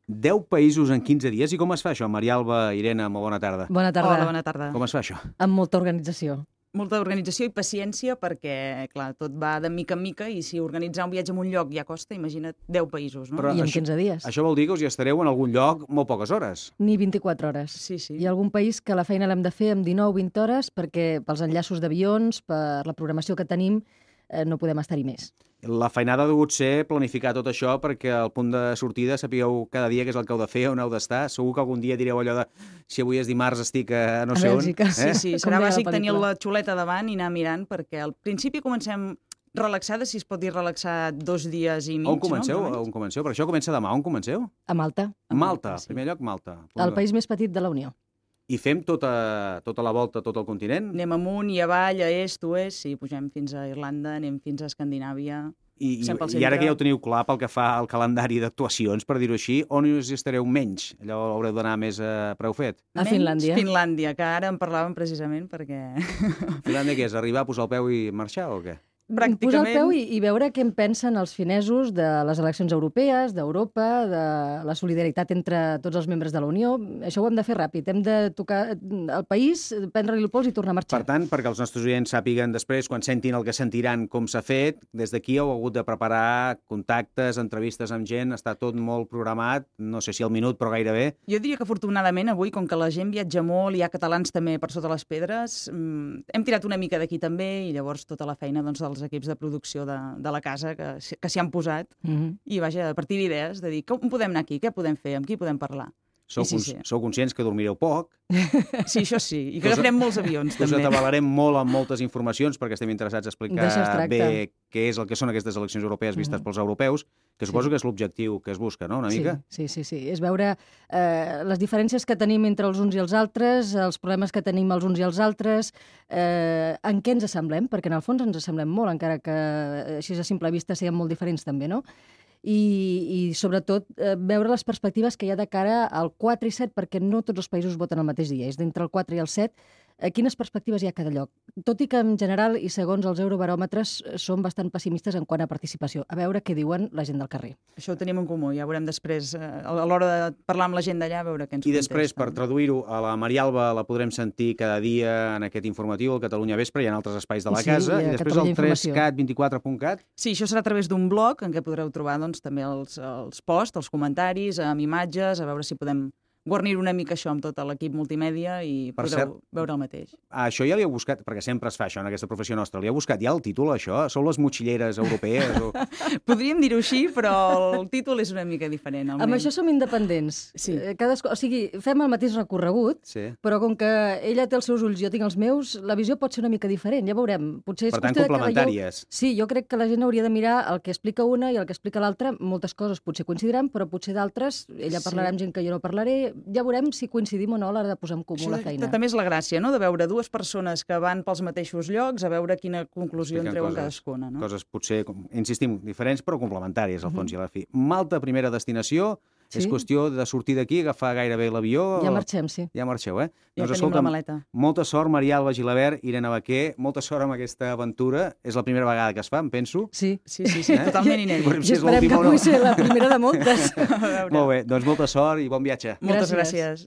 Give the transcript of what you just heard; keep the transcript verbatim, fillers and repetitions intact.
deu països en quinze dies. I com es fa això? Maria Alba, Irene, molt bona tarda. Bona tarda. Hola, bona tarda. Com es fa això? Amb molta organització. Molta organització i paciència perquè, clar, tot va de mica en mica i si organitzar un viatge en un lloc ja costa, imagina't deu països, no? Però I en això- quinze dies. Això vol dir que us hi estareu en algun lloc molt poques hores. Ni vint-i-quatre hores. Sí, sí. Hi ha algun país que la feina l'hem de fer amb dinou vint hores perquè pels enllaços d'avions, per la programació que tenim, eh, no podem estar-hi més. La feinada ha degut ser planificar tot això perquè al punt de sortida sapigueu cada dia què és el que heu de fer, on heu d'estar. Segur que algun dia direu allò de si avui és dimarts estic a no A sé on. Bèlgica. Sí, sí, Com serà deia la bàsic tenir pel·lícula. la xuleta davant i anar mirant perquè al principi comencem relaxades, si es pot dir relaxar dos dies i mig, On comenceu? no? On comenceu? Per això comença demà. On comenceu? A Malta, A Malta. Malta, sí. En primer lloc, Malta. el país més petit de la Unió. I fem tota, tota la volta, tot el continent? Anem amunt i avall, a est, oest, sí, pugem fins a Irlanda, anem fins a Escandinàvia. I, i, Sempre al I ara centre. que ja ho teniu clar pel que fa al calendari d'actuacions, per dir-ho així, on us hi estareu menys? Allò haureu d'anar més a preu fet. A Menys Finlàndia. Finlàndia, que ara en parlàvem precisament perquè Finlàndia què és? Arribar, posar el peu i marxar o què? Posar el pràcticament... peu i, i veure què en pensen els finesos de les eleccions europees, d'Europa, de la solidaritat entre tots els membres de la Unió. Això ho hem de fer ràpid. Hem de tocar el país, prendre-li el pols i tornar a marxar. Per tant, perquè els nostres oients sàpiguen després, quan sentin el que sentiran, com s'ha fet, des d'aquí heu hagut de preparar contactes, entrevistes amb gent, està tot molt programat, no sé si al minut, però gairebé. Jo diria que afortunadament avui, com que la gent viatja molt, hi ha catalans també per sota les pedres, mmm, hem tirat una mica d'aquí també i llavors tota la feina doncs, dels equips de producció de, de la casa que, s- que s'hi han posat Mhm. i vaja, a partir d'idees de dir com podem anar aquí, què podem fer, amb qui podem parlar. Sou, I sí, cons sí. sou conscients que dormireu poc, Sí, això sí, i que Us- agafarem molts avions us també. atabalarem molt amb moltes informacions perquè estem interessats a explicar D'això es tracta. bé què és el que són aquestes eleccions europees vistes Mhm. pels europeus, que suposo Sí. que és l'objectiu que es busca, no?, una mica? Sí, sí, sí, sí. És veure eh, les diferències que tenim entre els uns i els altres, els problemes que tenim els uns i els altres, eh, en què ens assemblem, perquè en el fons ens assemblem molt, encara que eh, així a simple vista siguem molt diferents també, no? I, i sobretot eh, veure les perspectives que hi ha de cara al quatre i set, perquè no tots els països voten el mateix dia, és d'entre el quatre i el set, eh, quines perspectives hi ha a cada lloc. Tot i que en general i segons els eurobaròmetres eh, són bastant pessimistes en quant a participació. A veure què diuen la gent del carrer. Això ho tenim en comú, ja veurem després, eh, a l'hora de parlar amb la gent d'allà, a veure què ens I després, per contesten. traduir-ho, a la Maria Alba la podrem sentir cada dia en aquest informatiu, al Catalunya Vespre, i en altres espais de la Sí, casa, i a i després Catalunya al tres Informació. cat vint-i-quatre punt cat. Sí, això serà a través d'un blog en què podreu trobar doncs, també els, els posts, els comentaris, amb imatges, a veure si podem guarnir una mica això amb tot l'equip multimèdia i Per podreu cert- veure el mateix. Ah, això ja li heu buscat, perquè sempre es fa això en aquesta professió nostra, li heu buscat ja el títol, això? Sou les motxilleres europees? O... Podríem dir-ho així, però el títol és una mica diferent. Amb això som independents. Sí. Eh, Cadascú, o sigui, fem el mateix recorregut, Sí. però com que ella té els seus ulls i jo tinc els meus, la visió pot ser una mica diferent, ja veurem. Potser és Per tant, qüestió de que complementàries. veieu- Sí, jo crec que la gent hauria de mirar el que explica una i el que explica l'altra. Moltes coses potser coincidiran, però potser d'altres, ella Sí. parlarà amb gent que jo no parlaré. Ja veurem si coincidim o no a l'hora de posar en comú la feina. També és la gràcia, no?, de veure dues persones que van pels mateixos llocs, a veure quina conclusió en Expliquen treuen coses- cadascuna. No? Coses potser, com- insistim, diferents, però complementàries, al fons i a la fi. Malta, primera destinació, Sí. és qüestió de sortir d'aquí, agafar gairebé l'avió... Ja marxem, sí. Ja marxeu, eh? Ja doncs, tenim la maleta. molta sort, Maria Alba Gilabert, Irene Baquer, molta sort amb aquesta aventura. És la primera vegada que es fa, em penso. Sí. Sí, sí, sí, Eh? totalment inèdit. Veurem si I és esperem que l'última o no. pugui ser la primera de moltes. A veure. Molt bé, doncs molta sort i bon viatge. Moltes Gràcies. gràcies.